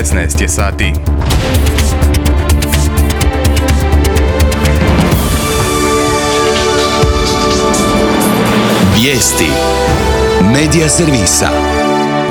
16 je sati. Vijesti Medija servisa.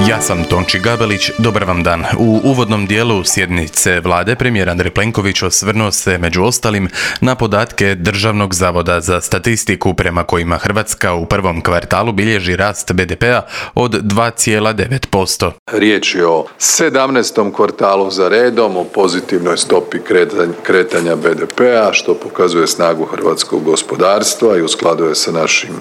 Ja sam Tonči Gabelić, dobar vam dan. U uvodnom dijelu sjednice vlade premijer Andrej Plenković osvrnuo se među ostalim na podatke Državnog zavoda za statistiku prema kojima Hrvatska u prvom kvartalu bilježi rast BDP-a od 2,9%. Riječ je o 17. kvartalu za redom, o pozitivnoj stopi kretanja BDP-a, što pokazuje snagu hrvatskog gospodarstva i u skladu je sa našim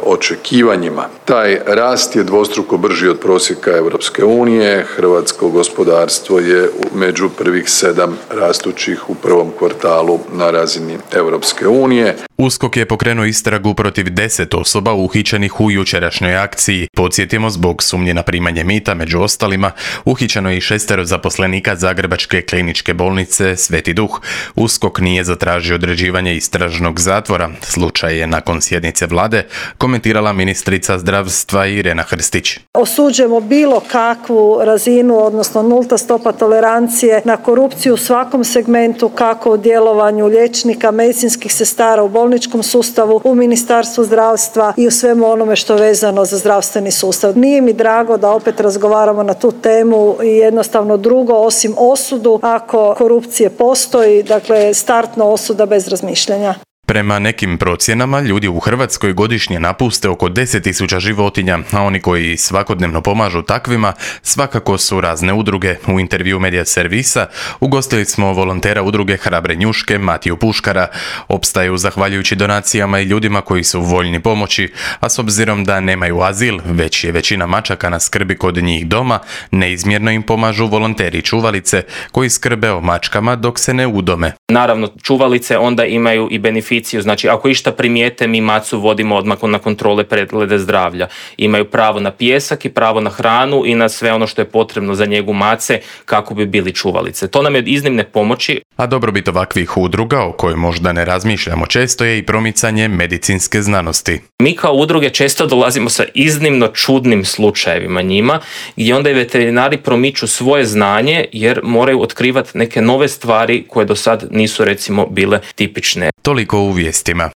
očekivanjima. Taj rast je dvostruko brži od prosjeka Europske unije. Hrvatsko gospodarstvo je među prvih 7 rastućih u prvom kvartalu na razini Europske unije. USKOK je pokrenuo istragu protiv 10 osoba uhićenih u jučerašnjoj akciji. Podsjetimo, zbog sumnje na primanje mita, među ostalima, uhićeno je i 6 zaposlenika Zagrebačke kliničke bolnice Sveti Duh. USKOK nije zatražio određivanje istražnog zatvora. Slučaj je nakon sjednice vlade komentirala ministrica zdravstva Irena Hrstić. Osuđujemo bilo kakvu razinu, odnosno nulta stopa tolerancije na korupciju u svakom segmentu, kako u djelovanju liječnika, medicinskih sestara u bolničkom sustavu, u Ministarstvu zdravstva i u svemu onome što je vezano za zdravstveni sustav. Nije mi drago da opet razgovaramo na tu temu i jednostavno drugo osim osudu ako korupcije postoji, dakle startna osuda bez razmišljanja. Prema nekim procjenama, ljudi u Hrvatskoj godišnje napuste oko 10.000 životinja, a oni koji svakodnevno pomažu takvima svakako su razne udruge. U intervju Medija servisa ugostili smo volontera udruge Hrabre njuške Matiju Puškara. Opstaju zahvaljujući donacijama i ljudima koji su voljni pomoći, a s obzirom da nemaju azil, već je većina mačaka na skrbi kod njih doma, neizmjerno im pomažu volonteri čuvalice koji skrbe o mačkama dok se ne udome. Naravno, čuvalice onda imaju i beneficiju, znači ako išta primijete, mi macu vodimo odmah na kontrole preglede zdravlja. Imaju pravo na pijesak i pravo na hranu i na sve ono što je potrebno za njegu mace kako bi bili čuvalice. To nam je od iznimne pomoći. A dobrobit ovakvih udruga, o kojoj možda ne razmišljamo često, je i promicanje medicinske znanosti. Mi kao udruge često dolazimo sa iznimno čudnim slučajevima njima, gdje onda i veterinari promiču svoje znanje jer moraju otkrivati neke nove stvari koje do sad nisu recimo bile tipične. Toliko u vijestima.